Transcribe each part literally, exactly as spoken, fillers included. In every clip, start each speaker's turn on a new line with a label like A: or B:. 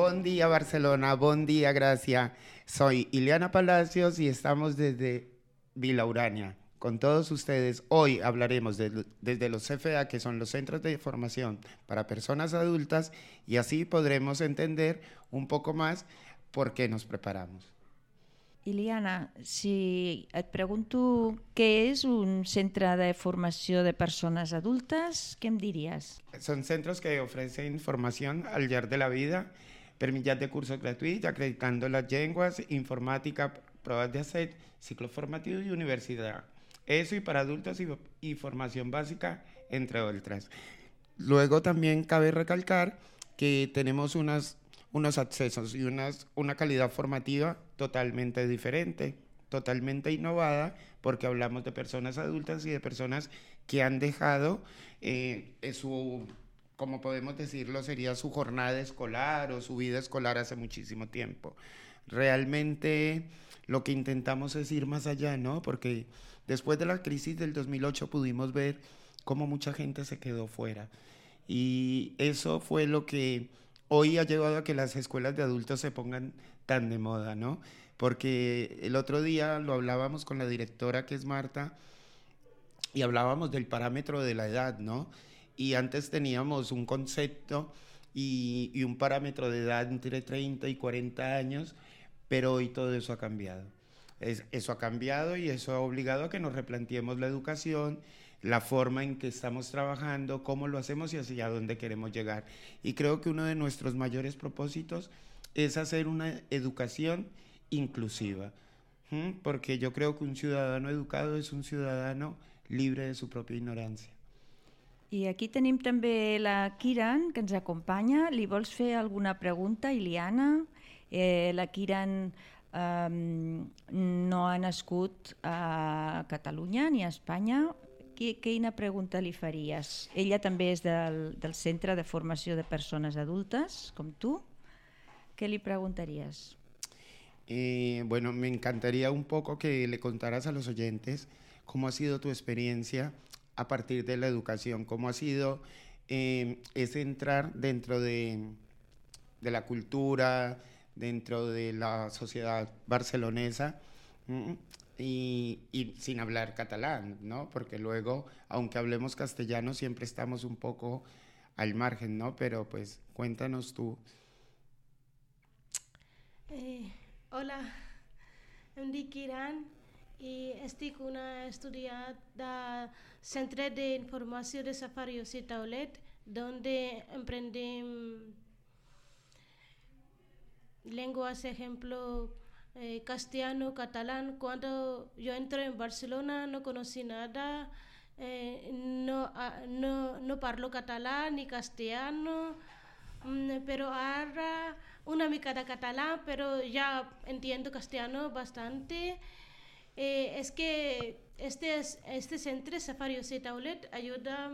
A: Bon día Barcelona, bon día Gracia. Soy Ileana Palacios y estamos desde Vila Urania con todos ustedes. Hoy hablaremos de, desde los C F A, que son los Centros de Formación para Personas Adultas, y así podremos entender un poco más por qué nos preparamos.
B: Ileana, si et pregunto què és un centre de formació de persones adultes, què em diries?
A: Son centros que ofrecen formación al llarg de la vida per mitjà de cursos gratuïts, acreditando las lenguas, informática, pruebas de hacer, ciclo formativo y universidad. Eso y para adultos y, y formación básica, entre otras. Luego también cabe recalcar que tenemos unas, unos accesos y unas, una calidad formativa totalmente diferente, totalmente innovada, porque hablamos de personas adultas y de personas que han dejado eh, su, como podemos decirlo, sería su jornada escolar o su vida escolar hace muchísimo tiempo. Realmente lo que intentamos es ir más allá, ¿no? Porque después de la crisis del dos mil ocho pudimos ver cómo mucha gente se quedó fuera. Y eso fue lo que hoy ha llevado a que las escuelas de adultos se pongan tan de moda, ¿no? Porque el otro día lo hablábamos con la directora, que es Marta, y hablábamos del parámetro de la edad, ¿no? Y antes teníamos un concepto y, y un parámetro de edad entre treinta y cuarenta años, pero hoy todo eso ha cambiado. Es, eso ha cambiado y eso ha obligado a que nos replanteemos la educación, la forma en que estamos trabajando, cómo lo hacemos y hacia dónde queremos llegar. Y creo que uno de nuestros mayores propósitos es hacer una educación inclusiva, ¿sí? Porque yo creo que un ciudadano educado es un ciudadano libre de su propia ignorancia.
B: I aquí tenim també la Kiran, que ens acompanya. Li vols fer alguna pregunta, Ileana? Eh, la Kiran eh, no ha nascut a Catalunya ni a Espanya. Quina pregunta li faries? Ella també és del, del Centre de Formació de Persones Adultes, com tu. ¿Qué le preguntarías?
A: Eh, bueno, me encantaría un poco que le contaras a los oyentes cómo ha sido tu experiencia a partir de la educación, cómo ha sido eh, ese entrar dentro de, de la cultura, dentro de la sociedad barcelonesa, y, y sin hablar catalán, ¿no? Porque luego, aunque hablemos castellano, siempre estamos un poco al margen, ¿no? Pero pues cuéntanos tú.
C: Eh, hola, em dic Kiran i estic una estudiant del Centre d'Informació de Safarios i Taulet, donde emprendem lenguas, ejemplo, eh, castellano, catalán. Cuando yo entré en Barcelona no conocí nada, eh, no, uh, no, no parlo catalán ni castellano, mm, pero ahora una mica de catalán, pero ya entiendo castellano bastante. Eh, es que este, este centro Safarios y Taulet ayuda,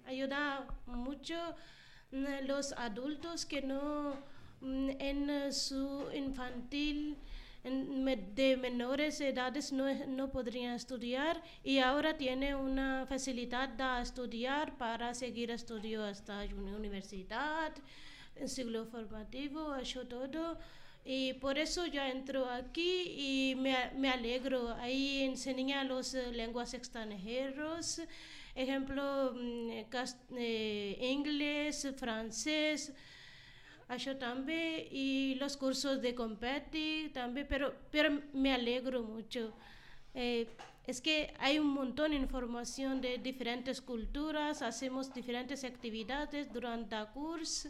C: ayuda mucho a los adultos que no en su infantil en, de menores edades no, no podrían estudiar, y ahora tiene una facilidad de estudiar para seguir estudio hasta una universidad, en ciclo formativo, eso todo. Y por eso yo entro aquí y me, me alegro. Ahí enseñan las uh, lenguas extranjeras, ejemplo, eh, inglés, francés, eso también, y los cursos de competir también, pero, pero me alegro mucho. Eh, es que hay un montón de información de diferentes culturas, hacemos diferentes actividades durante el curso,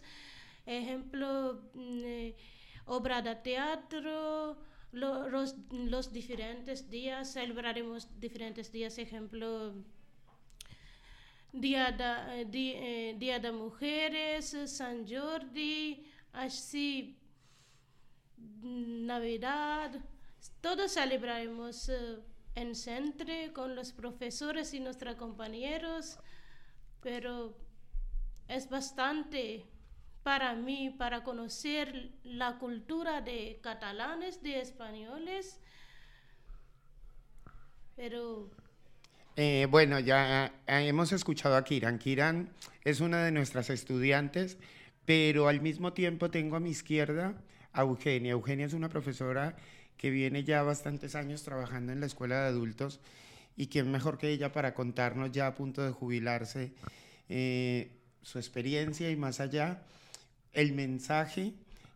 C: ejemplo, eh, obra de teatro, lo, los, los diferentes días, celebraremos diferentes días, ejemplo, Día de, di, eh, Día de Mujeres, San Jordi, así, Navidad, todos celebraremos eh, en centro con los profesores y nuestros compañeros, pero es bastante para mí, para conocer la cultura de catalanes, de españoles, pero...
A: Eh, bueno, ya eh, hemos escuchado a Kiran. Kiran es una de nuestras estudiantes, pero al mismo tiempo tengo a mi izquierda a Eugenia. Eugenia es una profesora que viene ya bastantes años trabajando en la escuela de adultos, y quién mejor que ella para contarnos, ya a punto de jubilarse, eh, su experiencia y más allá, el mensaje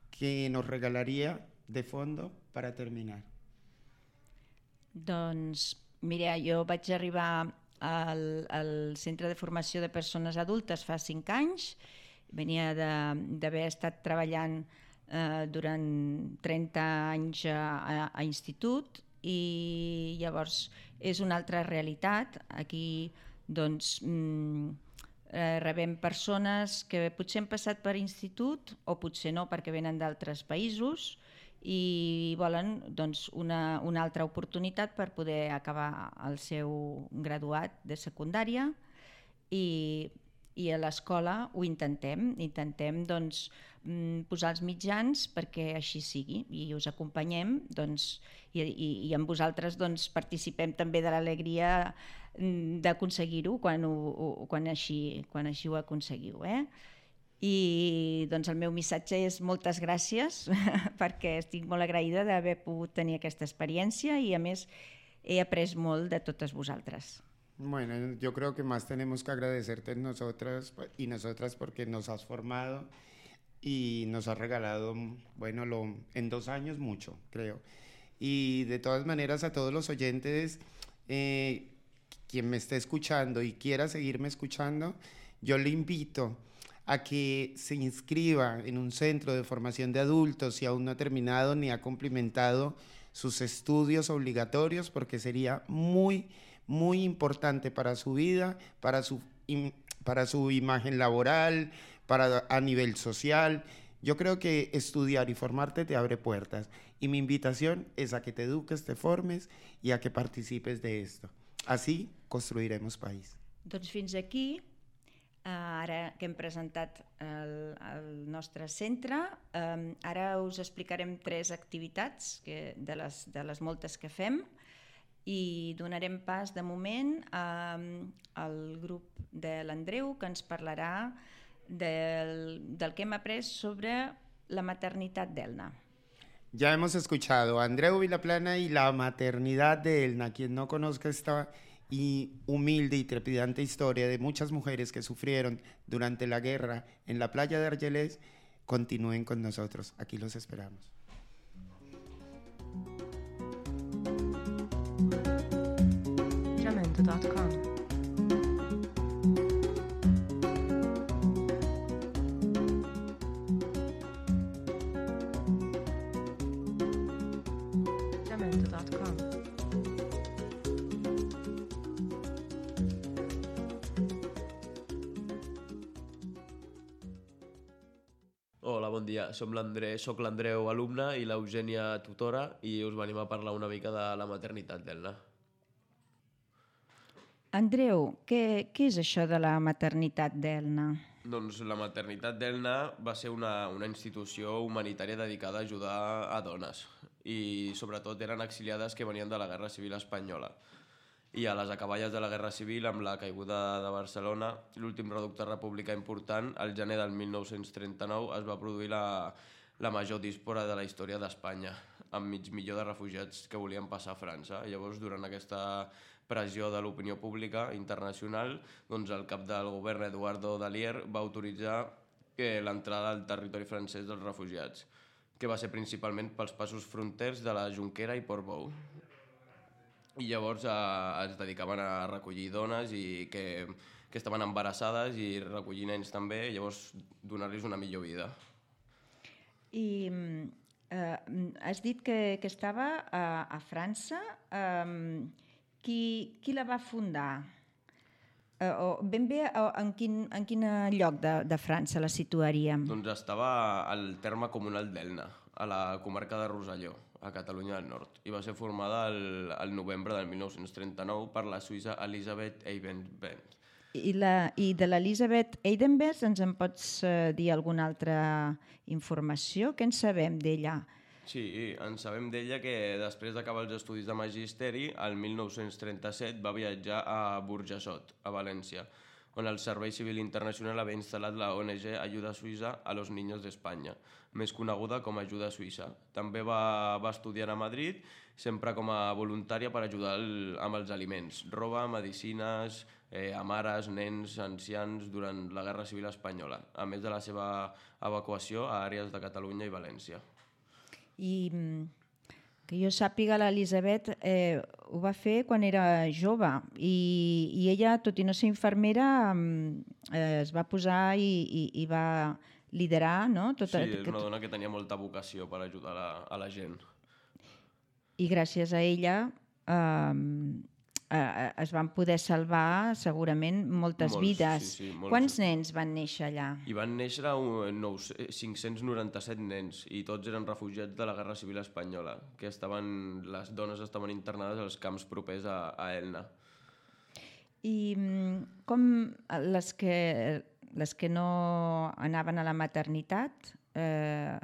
A: que nos regalaría de fondo para terminar.
B: Doncs, mira, jo vaig arribar al, al Centre de Formació de Persones Adultes fa cinc anys, venia d'haver estat treballant eh, durant trenta anys a, a, a institut, i llavors és una altra realitat. Aquí doncs, eh, rebem persones que potser han passat per institut o potser no perquè venen d'altres països i volen doncs, una, una altra oportunitat per poder acabar el seu graduat de secundària, i, i a l'escola ho intentem, intentem doncs, posar els mitjans perquè així sigui, i us acompanyem, doncs, i, i, i amb vosaltres doncs, participem també de l'alegria d'aconseguir-ho quan, ho, quan, així, quan així ho aconseguiu. Eh? I doncs, el meu missatge és moltes gràcies perquè estic molt agraïda d'haver pogut tenir aquesta experiència, i a més he après molt de totes vosaltres.
A: Bueno, yo creo que más tenemos que agradecerte nosotras y nosotras porque nos has formado y nos has regalado, bueno, lo, en dos años mucho, creo. Y de todas maneras, a todos los oyentes, eh, quien me esté escuchando y quiera seguirme escuchando, yo le invito a que se inscriba en un centro de formación de adultos si aún no ha terminado ni ha cumplimentado sus estudios obligatorios, porque sería muy, muy importante para su vida, para su, para su imagen laboral, para a nivel social. Yo creo que estudiar y formarte te abre puertas, y mi invitación es a que te eduques, te formes y a que participes de esto. Así construiremos país.
B: Doncs fins aquí, ara que hem presentat el, el nostre centre, eh, ara us explicarem tres activitats que, de, les, de les moltes que fem, i donarem pas de moment eh, al grup de l'Andreu, que ens parlarà del, del que hem après sobre la maternitat d'Elna.
A: Ya hemos escuchado a Andreu Vilaplana y la maternidad de Elna. Quien no conozca esta y humilde y trepidante historia de muchas mujeres que sufrieron durante la guerra en la playa de Argelès, continúen con nosotros. Aquí los esperamos.
D: jamendo punto com jamendo punto com
E: Hola, bon dia. Som l'André, soc l'Andreu, alumne, i l'Eugènia, tutora, i us venim a parlar una mica de la maternitat d'Elna.
B: Andreu, què, què és això de la maternitat d'Elna?
E: Doncs la maternitat d'Elna va ser una, una institució humanitària dedicada a ajudar a dones, i sobretot eren exiliades que venien de la Guerra Civil Espanyola. I a les acaballes de la Guerra Civil, amb la caiguda de Barcelona, l'últim reducte republicà important, al gener del mil nou-cents trenta-nou es va produir la, la major díspora de la història d'Espanya, amb mig milió de refugiats que volien passar a França. Llavors, durant aquesta pressió de l'opinió pública internacional, doncs el cap del govern, Eduardo Dalier, va autoritzar l'entrada al territori francès dels refugiats, que va ser principalment pels passos fronters de la Jonquera i Portbou. I llavors eh, es dedicaven a recollir dones i que, que estaven embarassades i recollir nens també, i llavors donar-los una millor vida.
B: I eh, has dit que, que estava a, a França. Eh, qui, qui la va fundar? Eh, o ben bé en quin, en quin lloc de, de França la situaríem?
E: Doncs estava al terme comunal d'Elna, a la comarca de Rosselló, a Catalunya del Nord, i va ser formada el, el novembre del mil nou-cents trenta-nou per la suïssa Elisabeth Eidenbenz.
B: I, la, I de l'Elisabeth Eidenbenz ens en pots eh, dir alguna altra informació? Què en sabem d'ella?
E: Sí, en sabem d'ella que després d'acabar els estudis de magisteri, el mil nou-cents trenta-set va viatjar a Burjassot, a València, on el Servei Civil Internacional havia instal·lat la O N G Ayuda Suïssa a los Niños d'Espanya, més coneguda com Ajuda Suïssa. També va, va estudiar a Madrid, sempre com a voluntària per ajudar el, amb els aliments, roba, medicines, eh, a mares, nens, ancians durant la Guerra Civil Espanyola, a més de la seva evacuació a àrees de Catalunya i València.
B: I que jo sàpiga, l'Elisabet eh, ho va fer quan era jove i, i ella, tot i no ser infermera, eh, es va posar i, i, i va liderar, no? Tot,
E: sí, és una dona que tenia molta vocació per ajudar la, a la gent.
B: I gràcies a ella eh, eh, es van poder salvar segurament moltes
E: Molts,
B: vides.
E: sí, sí, molts.
B: Quants nens van néixer allà?
E: I van néixer cinc-cents noranta-set nens i tots eren refugiats de la Guerra Civil Espanyola, que estaven, les dones estaven internades als camps propers a, a Elna.
B: I com les que, les que no anaven a la maternitat eh,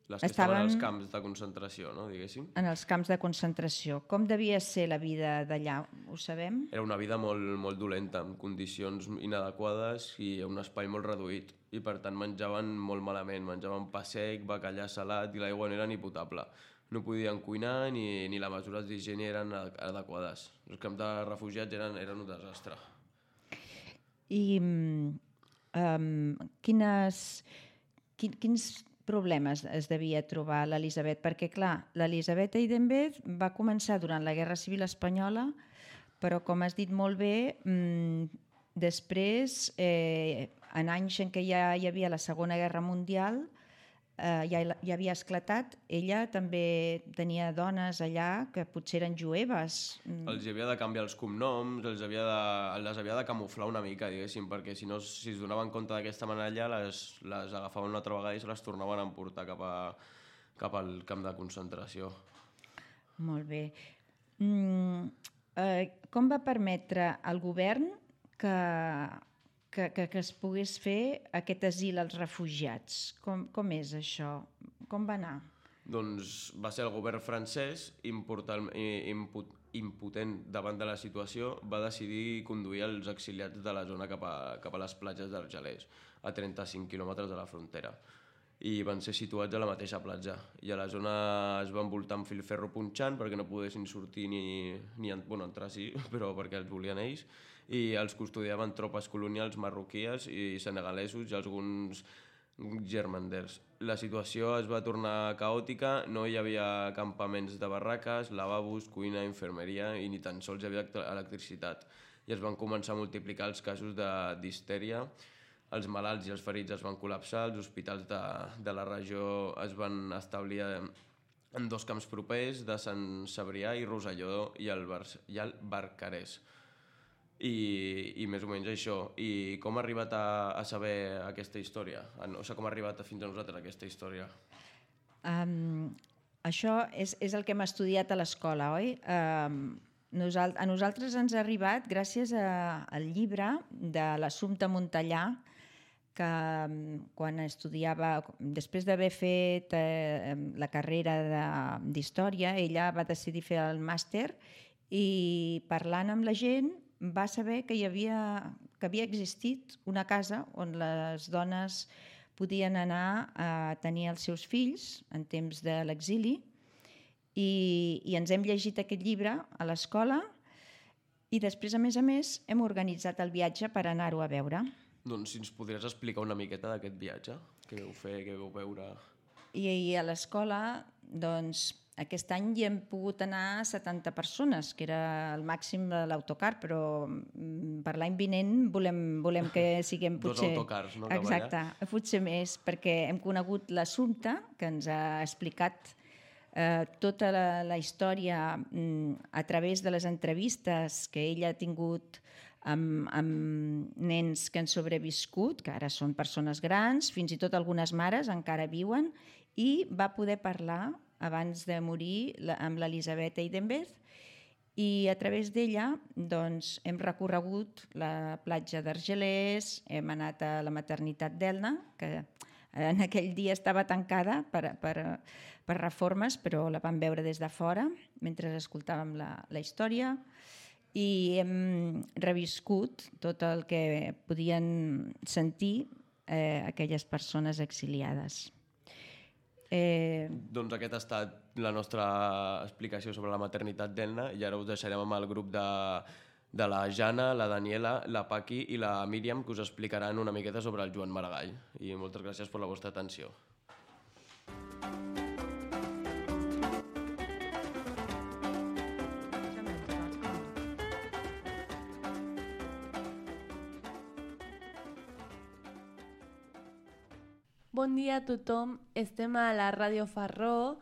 E: Les que estaven, estaven als camps de concentració, no, diguéssim.
B: En els camps de concentració. Com devia ser la vida d'allà? Ho sabem?
E: Era una vida molt, molt dolenta, amb condicions inadequades i un espai molt reduït. I per tant menjaven molt malament, menjaven pa sec, bacallà salat i l'aigua no era ni potable. No podien cuinar ni, ni les mesures d'higiene eren adequades. Els camps de refugiats eren, eren un desastre.
B: I um, quines, quin, quins problemes es devia trobar l'Elisabet? Perquè, clar, l'Elisabet Eidenbenz va començar durant la Guerra Civil Espanyola, però, com has dit molt bé, mmm, després, eh, en anys en què ja hi havia la Segona Guerra Mundial, eh, ja, ja havia esclatat, ella també tenia dones allà que potser eren jueves.
E: Els havia de canviar els cognoms, els havia de, les havia de camuflar una mica, diguéssim, perquè si no, si es donaven compte d'aquesta manera allà, les, les agafaven una altra vegada i se les tornaven a emportar cap, a, cap al camp de concentració.
B: Molt bé. Mm, eh, com va permetre al govern que, que, que, que es pogués fer aquest asil als refugiats? Com, com és això? Com va anar?
E: Doncs va ser el govern francès, important, imput, impotent davant de la situació, va decidir conduir els exiliats de la zona cap a, cap a les platges d'Argelers, a trenta-cinc quilòmetres de la frontera. I van ser situats a la mateixa platja. I a la zona es va envoltar amb filferro punxant perquè no poguessin sortir ni, ni bueno, entrar sí, però perquè els volien ells. I els custodiaven tropes colonials marroquíes i senegalesos i alguns germanders. La situació es va tornar caòtica, no hi havia campaments de barraques, lavabos, cuina, infermeria i ni tan sols hi havia electricitat. I es van començar a multiplicar els casos de distèria. Els malalts i els ferits es van col·lapsar, els hospitals de, de la regió es van establir en dos camps propers, de Sant Cebrià i Rosselló i el, Bar i el Barcarès. I, i més o menys això. I com ha arribat a, a saber aquesta història? O sigui, com ha arribat fins a nosaltres aquesta història?
B: Um, això és, és el que hem estudiat a l'escola, oi? Um, nosal a nosaltres ens ha arribat gràcies a, al llibre de l'Assumpta Montellà, que quan estudiava, després d'haver fet eh, la carrera d'història, ella va decidir fer el màster i, parlant amb la gent, va saber que hi havia, que havia existit una casa on les dones podien anar a tenir els seus fills en temps de l'exili i, i ens hem llegit aquest llibre a l'escola i després, a més a més, hem organitzat el viatge per anar-ho a veure.
E: Doncs si ens podries explicar una miqueta d'aquest viatge, què vau fer, què vau veure...
B: I, i a l'escola, doncs, aquest any hi hem pogut anar setanta persones, que era el màxim de l'autocar, però per l'any vinent volem, volem que siguem potser...
E: Dos autocars, no?
B: Exacte, potser més, perquè hem conegut l'Assumpta, que ens ha explicat eh, tota la, la història mm, a través de les entrevistes que ella ha tingut amb, amb nens que han sobreviscut, que ara són persones grans, fins i tot algunes mares encara viuen, i va poder parlar abans de morir amb l'Elisabet Eidenbenz i a través d'ella doncs, hem recorregut la platja d'Argelers, hem anat a la maternitat d'Elna, que en aquell dia estava tancada per, per, per reformes, però la vam veure des de fora mentre escoltàvem la, la història. i hem reviscut tot el que podien sentir eh, aquelles persones exiliades. Eh...
E: Doncs aquesta ha estat la nostra explicació sobre la maternitat d'Elna i ara us deixarem amb el grup de, de la Jana, la Daniela, la Paqui i la Míriam, que us explicaran una miqueta sobre el Joan Maragall. I moltes gràcies per la vostra atenció.
F: Bon dia a tothom, estem a la Ràdio Farró,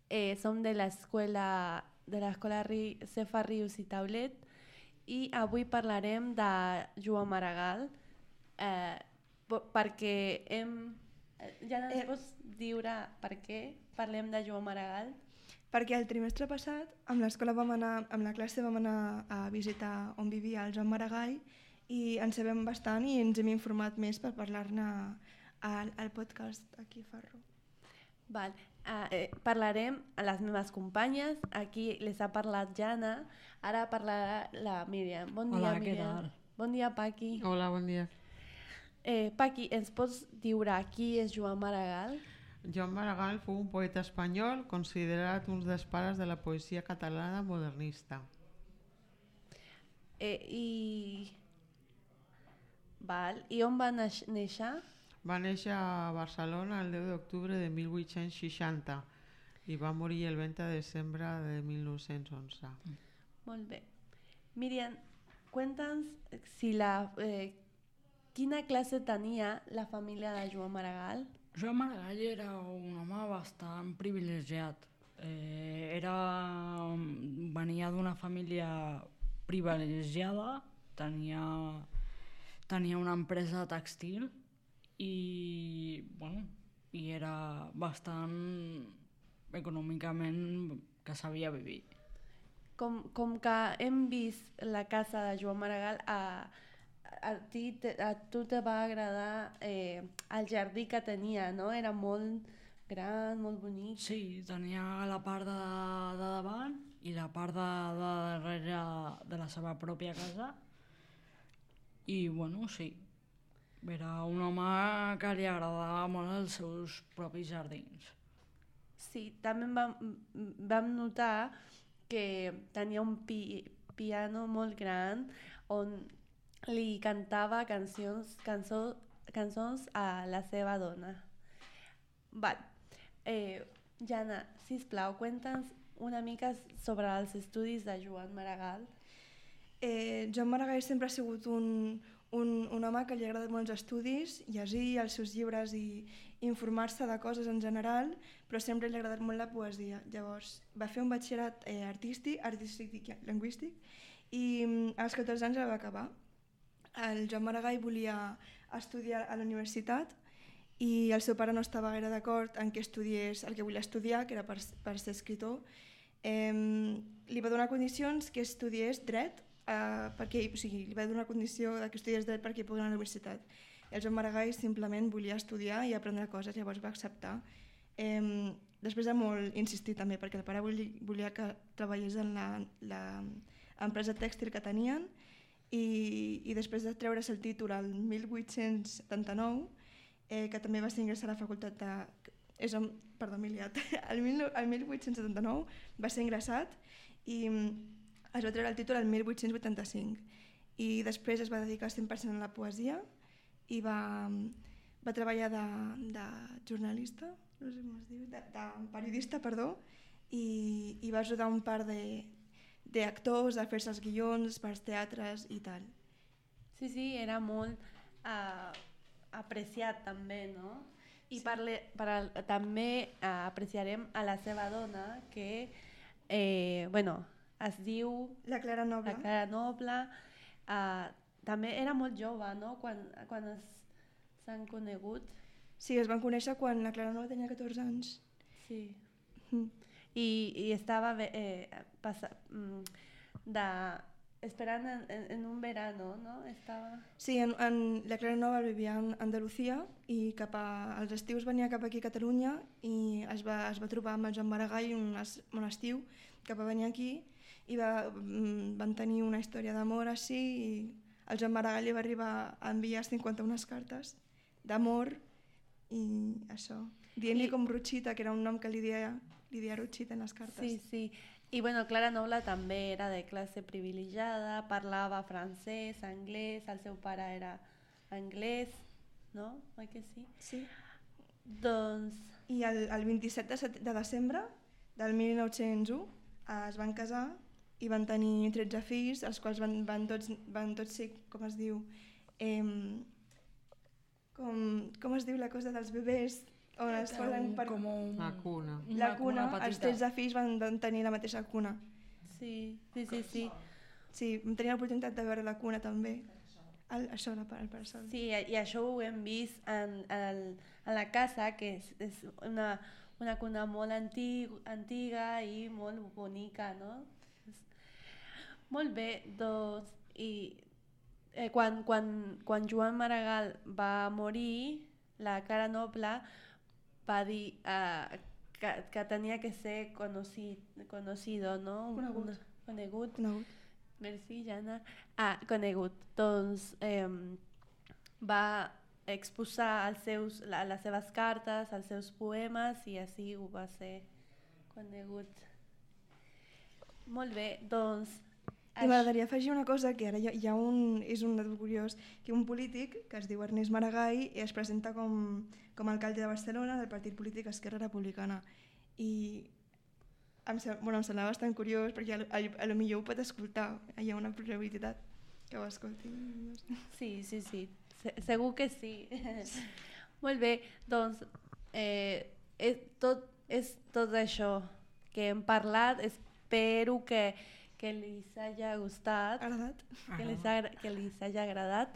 F: eh, som de l'escola de l'escola Cefa Rius i Taulet i avui parlarem de Joan Maragall eh, perquè hem... Ja no ens pots dir per què parlem de Joan Maragall?
G: Perquè el trimestre passat amb l'escola vam anar, amb la classe vam anar a visitar on vivia el Joan Maragall i en sabem bastant i ens hem informat més per parlar-ne al, al podcast aquí a Farró.
F: Val. Uh, eh, parlarem a les meves companyes, aquí les ha parlat Jana, ara parlarà la Míriam. Bon dia,
H: Hola,
F: Míriam.
H: què tal?
F: Bon dia, Paqui.
H: Hola, bon dia.
F: Eh, Paqui, ens pots dir qui és Joan Maragall?
H: Joan Maragall fou un poeta espanyol considerat un dels pares de la poesia catalana modernista.
F: Eh, i... Val. I on va neix- néixer?
H: Va néixer a Barcelona el deu d'octubre de mil vuit-cents seixanta i va morir el vint de desembre de mil nou-cents onze.
F: Molt bé. Míriam, cuéntanos si la, eh, quina classe tenia la família de Joan Maragall?
I: Joan Maragall era un home bastant privilegiat. Eh, era, venia d'una família privilegiada, tenia, tenia una empresa tèxtil i, bueno, i era bastant econòmicament que sabia viure.
F: Com, com que hem vist la casa de Joan Maragall, a, a, ti, te, a tu te va agradar eh, el jardí que tenia, no? Era molt gran, molt bonic.
I: Sí, tenia la part de, de davant i la part de, de darrere de la seva pròpia casa i, bueno, sí, era un home que li agradava molt els seus propis jardins.
F: Sí, també vam, vam notar que tenia un pi, piano molt gran on li cantava cancions, cançó, cançons a la seva dona. Val. Eh, Jana, sisplau, cuéntanos una mica sobre els estudis de Joan Maragall.
G: Eh, Joan Maragall sempre ha sigut un, un, un home que li agrada molt els estudis, llegir els seus llibres i informar-se de coses en general, però sempre li ha agradat molt la poesia. Llavors va fer un batxillerat eh, artístic, artístic i lingüístic i als catorze anys el va acabar. El Joan Maragall volia estudiar a la universitat i el seu pare no estava gaire d'acord en què estudiés el que volia estudiar, que era per, per ser escritor. Eh, li va donar condicions que estudiés dret, eh, perquè, o sigui, li va donar condició que estudiés dret perquè pogués anar a la universitat. El Joan Maragall simplement volia estudiar i aprendre coses, llavors va acceptar. Eh, després de molt insistir també, perquè el pare volia, volia que treballés en l'empresa tèxtil que tenien i, i després de treure's el títol el mil vuit-cents setanta-nou, eh, que també va ser ingressar a la facultat de... És on, perdó, m'he liat. El, el mil vuit-cents setanta-nou va ser ingressat i es va treure el títol el mil vuit-cents vuitanta-cinc i després es va dedicar cent per cent a la poesia i va, va treballar de, de jornalista, no sé com es diu, de, de periodista, perdó, i, i va ajudar un par de d'actors a fer-se els guions per als teatres i tal.
F: Sí, sí, era molt uh, apreciat també, no? I sí. parle, per al, també uh, apreciarem a la seva dona, que eh, bueno, es diu...
G: La Clara Noble.
F: La Clara Noble. Uh, també era molt jove, no?, quan, quan s'han conegut.
G: Sí, es van conèixer quan la Clara Noble tenia catorze anys.
F: Sí. Mm. I, i estava eh, passa, de, esperant en, en, en un verano, no? Estava...
G: Sí, en, en, la Clara Noble vivia en Andalusia i cap a, als estius venia cap aquí a Catalunya i es va, es va trobar amb el Joan Maragall un, es, un estiu que va venir aquí i va, van tenir una història d'amor així i el Joan Maragall li va arribar a enviar cinquanta-una cartes d'amor i això, dient-li com Ruchita, que era un nom que li deia, li deia Ruchita en les cartes.
F: Sí, sí. I bueno, Clara Noble també era de classe privilegiada, parlava francès, anglès, el seu pare era anglès, no? Oi que sí?
G: Sí.
F: Doncs...
G: I el, el vint-i-set de, set, de desembre del mil nou-cents u eh, es van casar i van tenir tretze fills, els quals van, van, tots, van tots ser, com es diu, eh, com, com es diu la cosa dels bebès, on es posen per...
I: Com un...
H: La cuna.
G: La cuna,
I: petita.
G: els tretze fills van tenir la mateixa cuna.
F: Sí, sí, sí, sí.
G: Sí, vam tenir l'oportunitat de veure la cuna també. El, això, el, el parasol.
F: Sí, i això ho hem vist en, en, en la casa, que és, és una, una cuna molt antig, antiga i molt bonica, no? Molt bé, doncs, i eh, quan, quan, quan Joan Maragall va morir, la Clara Noble va dir uh, que, que tenia que ser conocido, conocido no?
G: Conegut.
F: Un, conegut.
G: Conegut.
F: Merci, Jana. Ah, conegut. Doncs eh, va exposar els seus, la, les seves cartes, els seus poemes i així ho va ser conegut. Molt bé, doncs...
G: I m'agradaria afegir una cosa, que ara hi ha, hi ha un, és un dato curiós, que un polític que es diu Ernest Maragall i es presenta com, com a alcalde de Barcelona del partit polític Esquerra Republicana. I em, bueno, em semblava bastant curiós perquè a, a, a lo millor ho pot escoltar, hi ha una probabilitat que ho escolti.
F: Sí, sí, sí, Se, segur que sí. Molt bé, doncs eh, és, tot, és tot això que hem parlat, espero que que les haya gustat,
G: agradat.
F: que les, ha, que les haya agradat.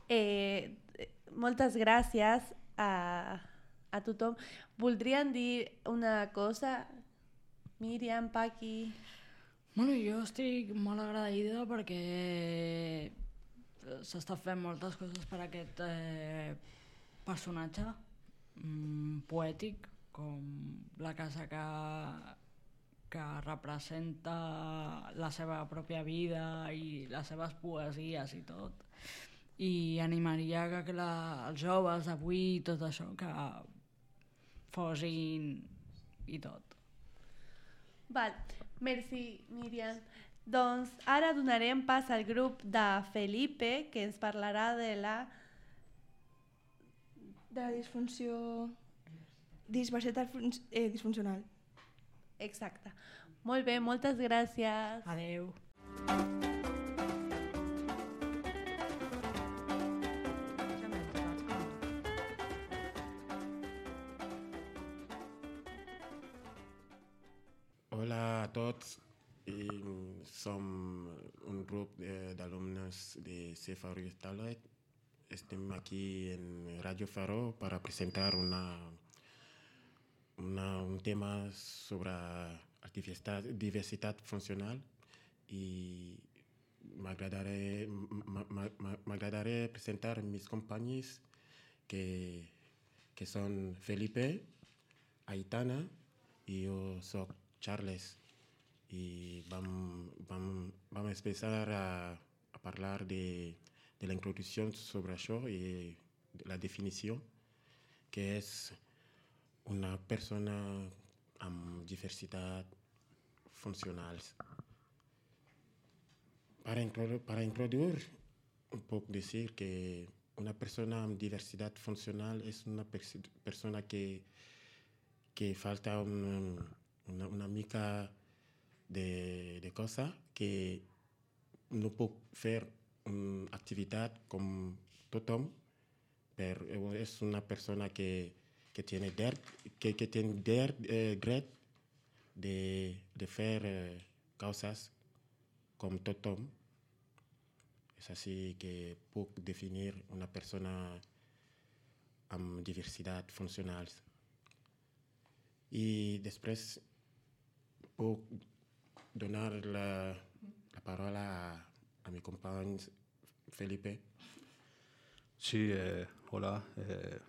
F: Eh, moltes gràcies a, a tothom. Voldrien dir una cosa, Míriam, Paqui?
I: Bueno, jo estic molt agraïda perquè s'està fent moltes coses per aquest eh, personatge mm, poètic, com la casa que que representa la seva pròpia vida i les seves poesies i tot. I animaria que, que la, els joves d'avui tot això que fosin i tot.
F: Val, merci, Míriam. Doncs ara donarem pas al grup de Felipe, que ens parlarà de la...
G: De la disfunció... Diversitat eh, disfuncional.
F: Exacte. Molt bé, moltes gràcies.
I: Adeu.
J: Hola a tots. I som un grup d'alumnes de C Faro i Starlight. Estem aquí en Radio Faro para presentar una, una, un tema sobre diversidad, diversidad funcional y m'agradaré m'agradaré presentar mis compañeros que, que son Felipe, Aitana y yo soy Charles. Y vamos, vamos, vamos a empezar a, a hablar de, de la introducción sobre eso y de la definición, que es una persona con diversidad funcional. Para, para introducir, un poco decir que una persona con diversidad funcional es una pers persona que, que falta un, una, una mica de, de cosas que no puede hacer una actividad como tothom, pero es una persona que, que tiene der, que, que tiene der, eh, dret de, de hacer eh, cosas como tothom. Es así que puedo definir una persona con diversidad funcional. Y después puedo donar la, la palabra a, a mi compañero Felipe.
K: Sí, eh, hola. Eh,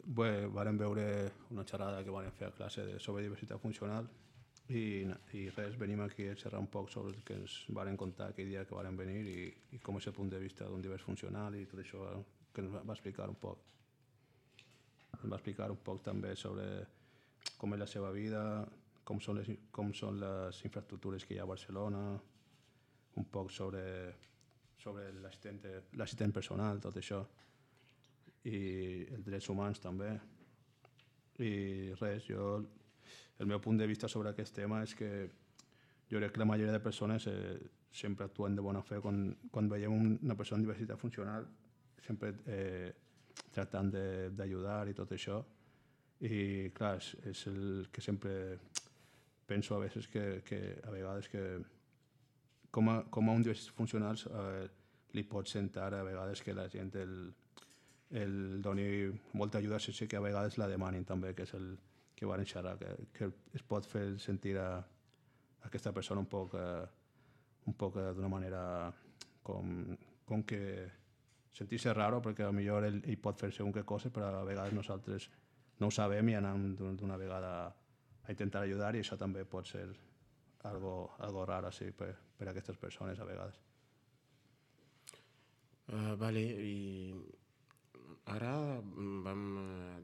K: bé, vàrem veure una xerrada que van fer a classe de, sobre diversitat funcional I, i res, venim aquí a xerrar un poc sobre el que ens varen contar aquell dia que varen venir i, i com és el punt de vista d'un divers funcional i tot això que ens va explicar un poc. Ens va explicar un poc també sobre com és la seva vida, com són les, com són les infraestructures que hi ha a Barcelona, un poc sobre, sobre l'assistent personal, tot això, i els drets humans també. I res, jo, el meu punt de vista sobre aquest tema és que jo crec que la majoria de persones eh, sempre actuen de bona fe quan, quan veiem una persona amb diversitat funcional, sempre eh, tractant d'ajudar i tot això. I clar, és, és el que sempre penso a vegades que, que a vegades que com a, com a un dels funcionals eh, li pot sentar a vegades que la gent el, el doni molta ajuda sense que a vegades la demanin també, que és el que van xerrar, que, que es pot fer sentir a, a aquesta persona un poc, eh, un poc eh, d'una manera com, com que sentir-se raro, perquè potser ell, ell pot fer segon que coses, però a vegades nosaltres no ho sabem i anem d'una vegada a intentar ajudar i això també pot ser algo, algo raro sí, per, per a aquestes persones a vegades.
J: Uh, vale, i ara vam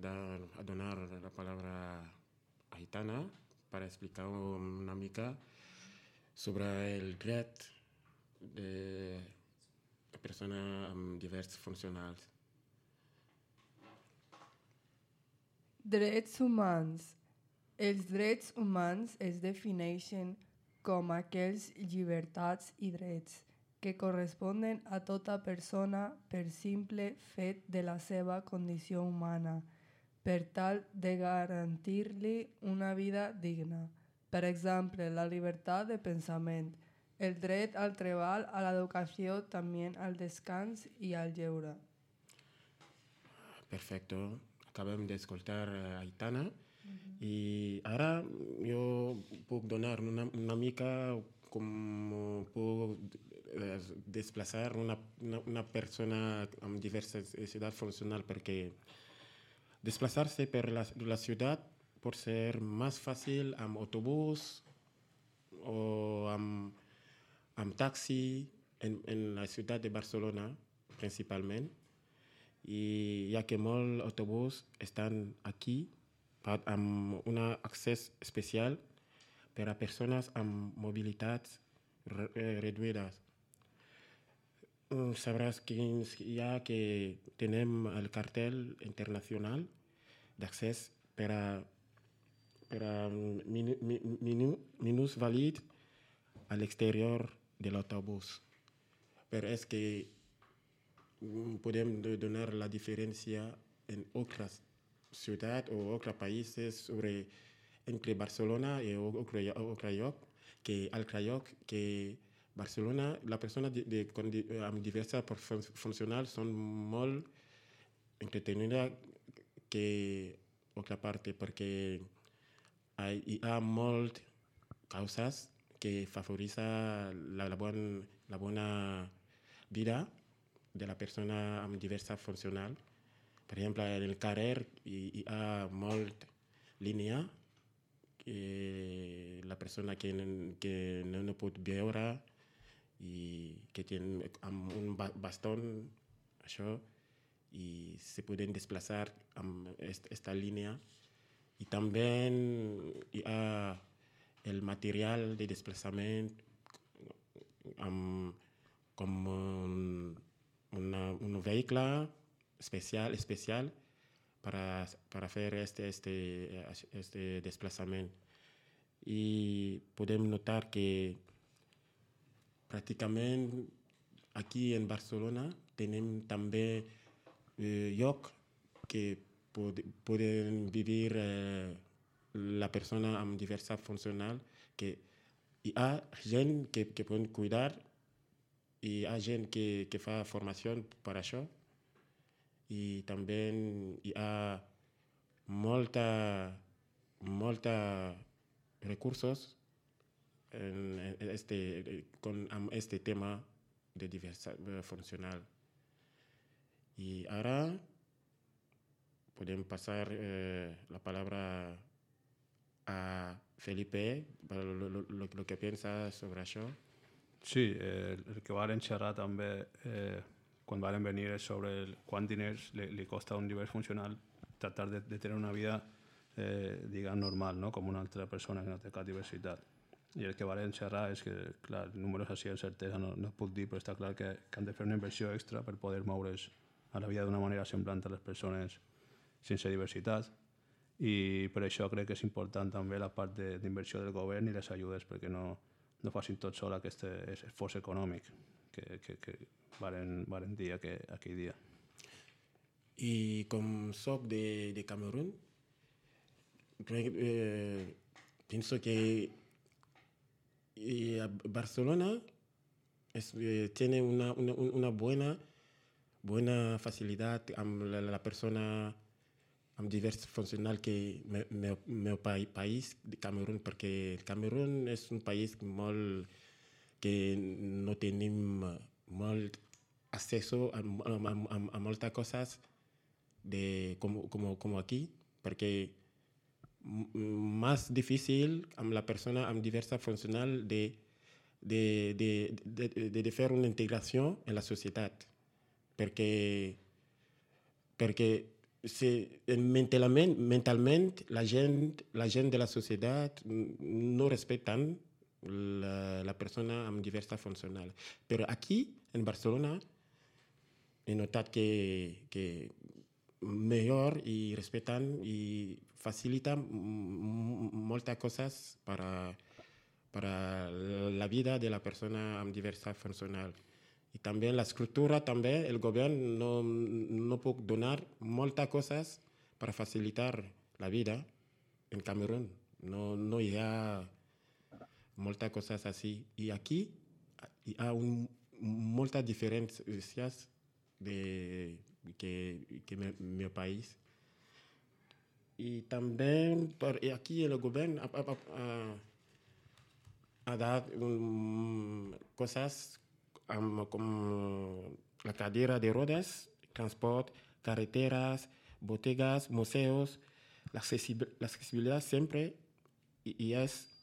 J: dar, a donar la palabra a Aitana para explicar una mica sobre el dret de persones amb diversos funcionals.
L: Drets humans. Els drets humans es defineixen com aquells llibertats i drets que corresponen a tota persona per simple fet de la seva condició humana, per tal de garantir-li una vida digna. Per exemple, la llibertat de pensament, el dret al treball, a l'educació, també al descans i al lleure.
J: Perfecto. Acabem d'escoltar a Aitana uh-huh. i ara jo puc donar una, una mica com puc desplaçar una, una, una persona amb diversidad funcional perquè desplaçar-se per la, la ciutat pot ser més fàcil amb autobús o amb, amb taxi en, en la ciutat de Barcelona principalment. I ja que molts autobusos estan aquí amb un accés especial per a persones amb mobilitats reduïdes. Sabràs que ja que tenim el cartel internacional d'accés per a, per a minús vàlid a l'exterior de l'autobús. Però és que podem donar la diferència en altres ciutats o altres països sobre entre Barcelona i altre lloc, que altre lloc que Barcelona, la persona de, de, de, amb diverses funcionals són molt entretenides que altra part, perquè hi ha moltes causes que favorecen la, la, bon, la bona vida de la persona amb diverses funcionals. Per exemple, en el carrer hi, hi ha molta línia que la persona que, que no, no pot veure i que té amb un bastó, això, i se poden desplaçar amb aquesta línia. I també hi ha el material de desplaçament amb, com un Una, un vehicle especial, especial para, para hacer este, este, este desplazamiento. Y podemos notar que prácticamente aquí en Barcelona tenemos también eh, llocs que pod, pueden vivir eh, la persona amb diversidad funcional, que hi ha gent que, que poden cuidar i hi ha gent que, que fa formació per això i també hi ha molta, molta recursos en este, con amb este tema de diversidad funcional. Y ahora podemos pasar eh, la palabra a a Felipe lo, lo, lo, lo que pensa sobre això.
K: Sí, eh, el que varen xerrar també eh, quan varen venir és sobre el, quant diners li, li costa a un llibre funcional tractar de, de tenir una vida eh, diguem normal, no? Com una altra persona que no té cap diversitat. I el que varen xerrar és que, clar, números així de certesa no, no es puc dir, però està clar que, que han de fer una inversió extra per poder moure's a la vida d'una manera semblant a les persones sense diversitat. I per això crec que és important també la part d'inversió de, del govern i les ajudes perquè no, no facin tot sol aquest esforç econòmic que, que, que varen, varen dir aquell, aquell dia.
J: I com soc de, de Camerún, crec, eh, penso que y Barcelona es, eh, tiene una, una, una buena, buena facilidad a la, la persona diversa funcional que el meu país, de Camerún, perquè el Camerún és un país molt que no tenim molt accés a, a, a, a moltes coses de, com, com, com aquí, perquè más difícil a la persona amb diversa funcional de, de, de, de, de, de fer una integració en la societat. Perquè, perquè si, mentalment, mentalment la, gent, la gent de la societat no respecten la, la persona amb diversa funcional. Però aquí, en Barcelona, he notat que, que millor i respecten i facilitan moltes coses para, para la vida de la persona amb diversa funcional. I també la estructura, també el govern no, no pot donar moltes coses per facilitar la vida en Camerún. No, no hi ha moltes coses així. I aquí hi ha un, moltes diferències de, que, que el meu país. I també per aquí el govern ha, ha, ha, ha dat um, coses um, com la cadira de rodes, transport, carreteras, bodegas, museos, la accesibilidad siempre y, y es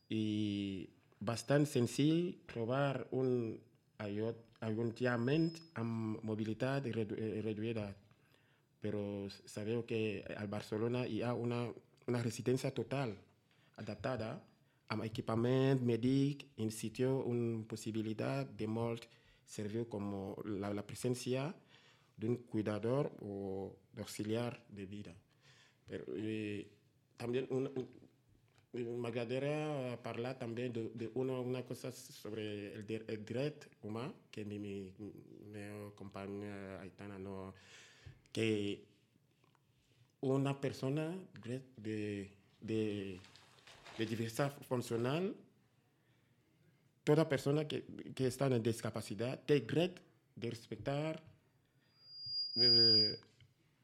J: y bastante senzill trobar un allotjament amb mobilitat reduïda. Però sabeu que a Barcelona hi ha una, una residència total adaptada amb equipament mèdic in situ, una possibilitat de molt servir com la, la presència d'un cuidador o d'auxiliar de vida. Però, eh, també una, m'agradaria parlar també d'una una cosa sobre el, el dret humà que mi, mi, meu company Aitana no... que una persona de, de, de diversidad funcional, toda persona que, que está en discapacidad, tiene derecho de respetar eh,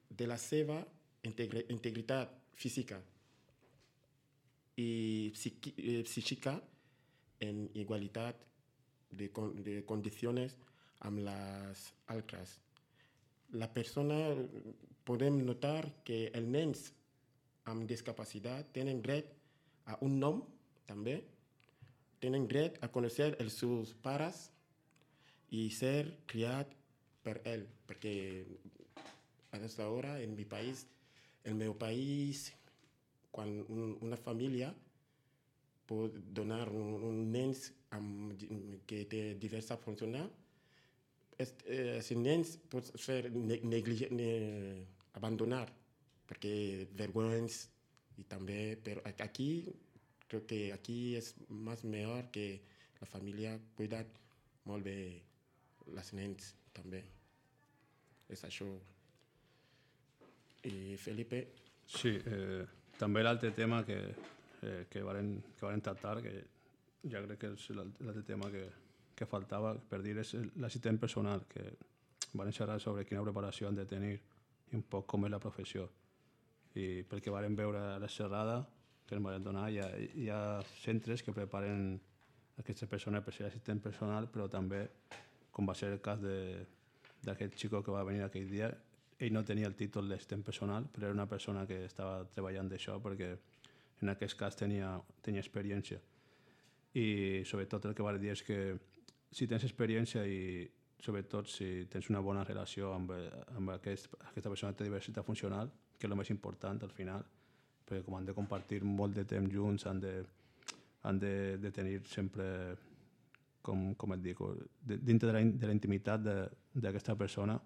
J: de la seva integri, integridad física y psiqui, eh, psíquica en igualdad de, de condiciones amb las altres. La persona, podem notar que els nens amb discapacitat tenen dret a un nom, també. Tenen dret a conèixer els seus pares i ser criat per ell. Perquè a aquesta hora, en mi país, en el meu país, quan un, una família pot donar un, un nen amb, que té diversa funcional, els eh, nens pot fer negligir, ne, abandonar, perquè vergüenza i també, però aquí, crec que aquí és més millor que la família cuida molt bé les nens també. És això. I Felipe?
K: Sí, eh, també l'altre tema que, eh, que varen, que varen tractar, que ja crec que és l'altre tema que que faltava per dir és l'assistent personal, que van xerrar sobre quina preparació han de tenir i un poc com és la professió. I pel que varen veure a la xerrada que ens van donar, hi ha, hi ha centres que preparen aquestes persones per ser assistent personal, però també, com va ser el cas d'aquest xico que va venir aquell dia, ell no tenia el títol d'assistent personal, però era una persona que estava treballant d'això perquè en aquest cas tenia, tenia experiència. I sobretot el que va dir és que si tens experiència i sobretot si tens una bona relació amb, amb aquest, aquesta persona que té diversitat funcional, que és el més important al final, perquè com han de compartir molt de temps junts, han de, han de, de tenir sempre, com, com et dic, dintre de la, de la intimitat d'aquesta persona,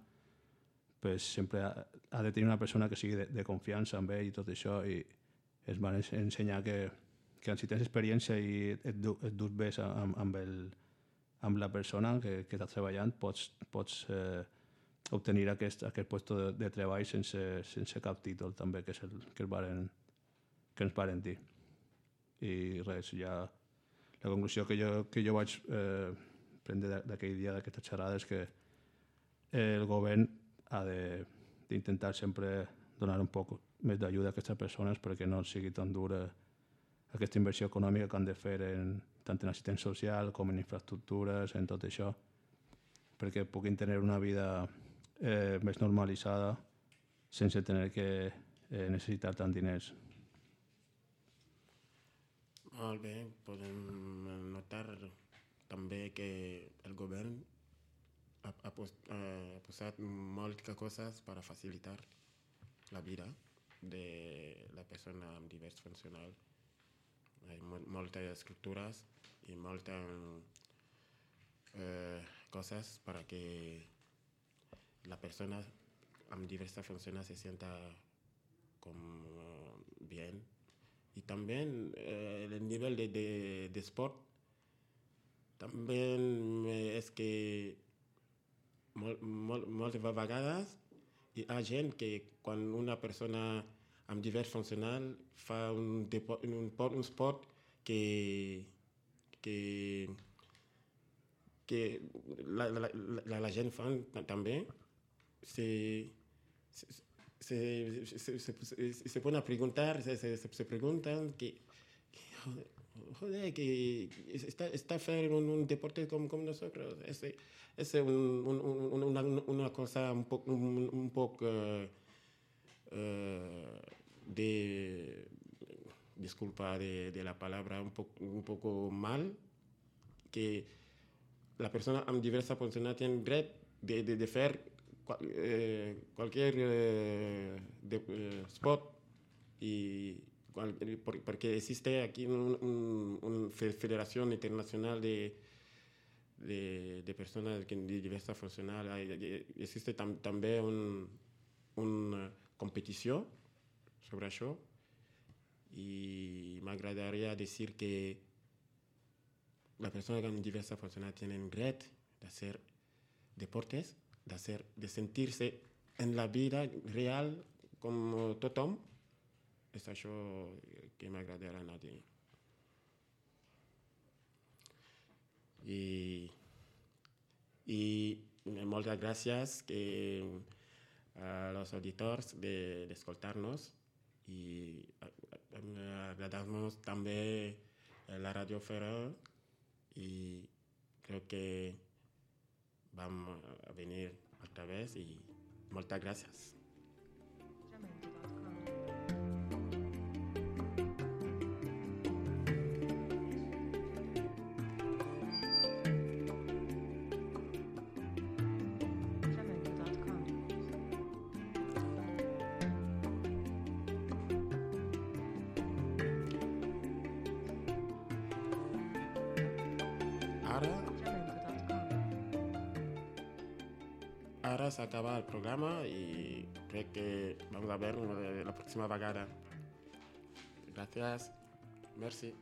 K: pues sempre ha, ha de tenir una persona que sigui de, de confiança amb ell i tot això, i es van ensenyar que, que si tens experiència i et, du, et dus bé amb, amb, el, amb la persona que, que estàs treballant, pots, pots eh, obtenir aquest, aquest lloc de, de treball sense, sense cap títol també, que és el que, varen, que ens varen dir. I res, ja la conclusió que jo, que jo vaig eh, prendre d'aquell dia, d'aquesta xerrada, és que el govern ha d'intentar sempre donar un poc més d'ajuda a aquestes persones perquè no sigui tan dura aquesta inversió econòmica que han de fer en, tant en assistència social com en infraestructures, en tot això, perquè puguin tenir una vida eh, més normalitzada sense tenir que eh, necessitar tant diners.
J: Molt bé, podem notar també que el govern ha, ha, pos, ha posat moltes coses per facilitar la vida de la persona amb divers funcional. Hi ha moltes estructures i moltes eh, coses para que la persona amb diversas funciones se sienta como bien. Y también eh, el nivel de, de, de sport también es que mol, mol, moltes vegades hi ha gent que quan una persona amb divers funcional fa un, depo, un, un sport que, que, que la, la, la, la gent fa també, se, se, se, se, se, se, se pone a preguntar, se, se, se preguntan que, que joder, que está, está haciendo un, un deporte como, como nosotros. Es, es un, un, un, una, una cosa un poco, un, un poco uh, uh, de, disculpa de, de la palabra, un poco, un poco mal, que la persona amb diversa funcionalidad tiene dret de, de, de hacer cual, eh, cualquier eh, de, eh, sport y porque existe aquí una un, un federación internacional de, de, de personas de diversa funcional. Existe tam, también un, una competición sobre eso y me agradaría decir que las personas con diversa funcional tienen derecho de hacer deportes, de, hacer, de sentirse en la vida real como tothom. És això que m'agradarà a dir. I, i moltes gràcies que, a los auditors de, d'escoltar-nos i agradar-nos també la Radio Ferrer i crec que vam a venir altra vegada i moltes gràcies. Ara s'acaba el programa i crec que vamos a ver la próxima vegada. Gràcies. Merci.